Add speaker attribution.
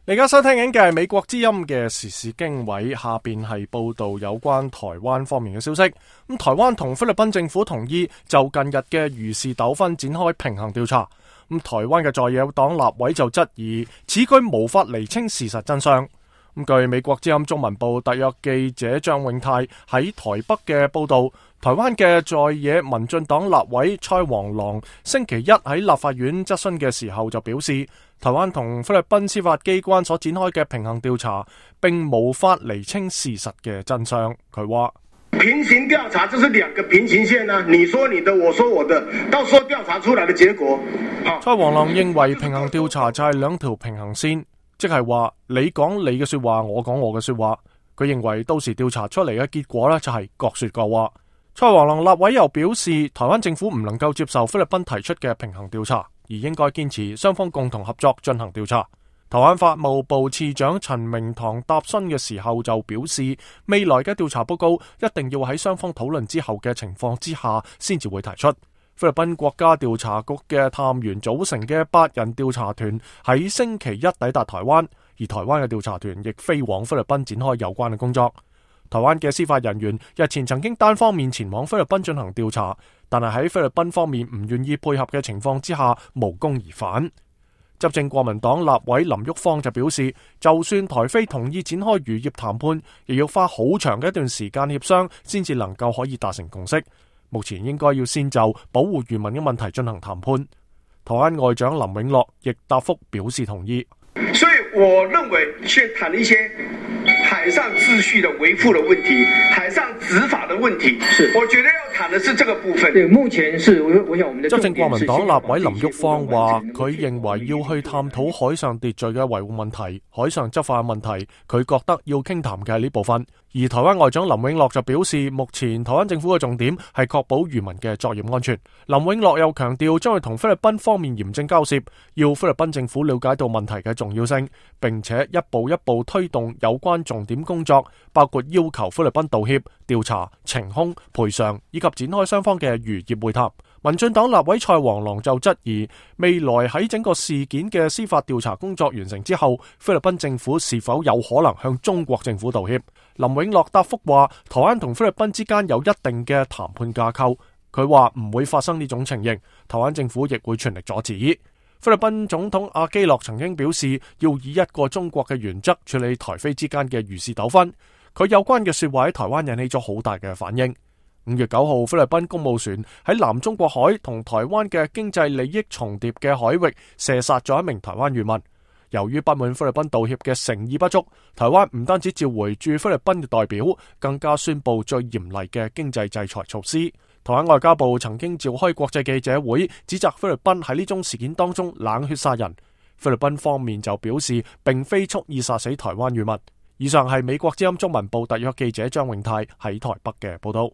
Speaker 1: 你而家收聽緊嘅係美國之音嘅時事經緯，下邊係報道有關台灣方面嘅消息。台灣同菲律賓政府同意就近日嘅漁事糾紛展開平衡調查。台灣嘅在野黨立委就質疑此舉無法釐清事實真相。據美國之音中文部特約記者張永泰喺台北嘅報道，台灣嘅在野民進黨立委蔡黃郎星期一喺立法院質詢嘅時候就表示，台灣同菲律賓司法機關所展開嘅平衡調查並無法釐清事實嘅真相。佢話
Speaker 2: 平行調查就是兩個平行線啊，你說你的，我說我的，到時候調查出來的結果。
Speaker 1: 蔡黃郎認為平衡調查就係兩條平行線，即係話你講你嘅說話，我講我嘅說話。佢認為到時調查出嚟嘅結果呢，就係各說各話。蔡黃郎立委又表示，台灣政府唔能夠接受菲律賓提出嘅平衡調查，而應該堅持雙方共同合作進行調查。台灣法務部次長陳明堂答詢嘅時候就表示，未來嘅調查報告一定要喺雙方討論之後嘅情況之下先至會提出。菲律賓國家調查局嘅探員組成嘅8人調查團喺星期一抵達台灣，而台灣嘅調查團亦飛往菲律賓展開有關嘅工作。台灣嘅司法人員日前曾經單方面前往菲律賓進行調查，但係喺菲律賓方面唔願意配合嘅情況之下無功而返。執政國民黨立委林郁方就表示，就算台菲同意展開漁業談判，亦要花好長嘅一段時間協商先至能夠可以達成共識。目前應該要先就保護漁民嘅問題進行談判。台灣外長林永樂亦答覆表示同意。
Speaker 2: 所以我認為先談一些海上秩序的維護的問題，海上執法的問題，我覺得要談的是這個部分。對，目前是我想我們的執政國民黨立委林郁方話，佢認為要去探討海上秩序嘅維護問題、海上執法嘅問題，佢覺得要傾談嘅係呢部分。而台灣外長林永樂就表示，目前台灣政府嘅重點係確保漁民嘅作業安全。林永樂又強調，將會同菲律賓方面嚴正交涉，要菲律賓政府了解到問題嘅重要性，並且一步一步推動有關重點工作，包括要求菲律賓道歉、調查、懲兇、賠償，以及展開雙方嘅漁業會談。民進黨立委蔡黃郎就質疑，未來喺整個事件嘅司法調查工作完成之後，菲律賓政府是否有可能向中國政府道歉？林永樂答覆話，台灣同菲律賓之間有一定嘅談判架構，佢話唔會發生呢種情形，台灣政府亦會全力阻止。菲律賓總統阿基諾曾經表示，要以一個中國嘅原則處理台菲之間嘅漁事糾紛。佢有關嘅說話喺台灣引起咗好大嘅反應。5月9號，菲律賓公務船喺南中國海同台灣嘅經濟利益重疊嘅海域射殺咗一名台灣漁民。由於不滿菲律賓道歉嘅誠意不足，台灣唔單止召回駐菲律賓嘅代表，更加宣布最嚴厲嘅經濟制裁措施。台灣外交部曾經召開國際記者會，指責菲律賓喺呢宗事件當中冷血殺人。菲律賓方面就表示，並非蓄意殺死台灣漁民。以上係美國之音中文部特約記者張永泰喺台北嘅報道。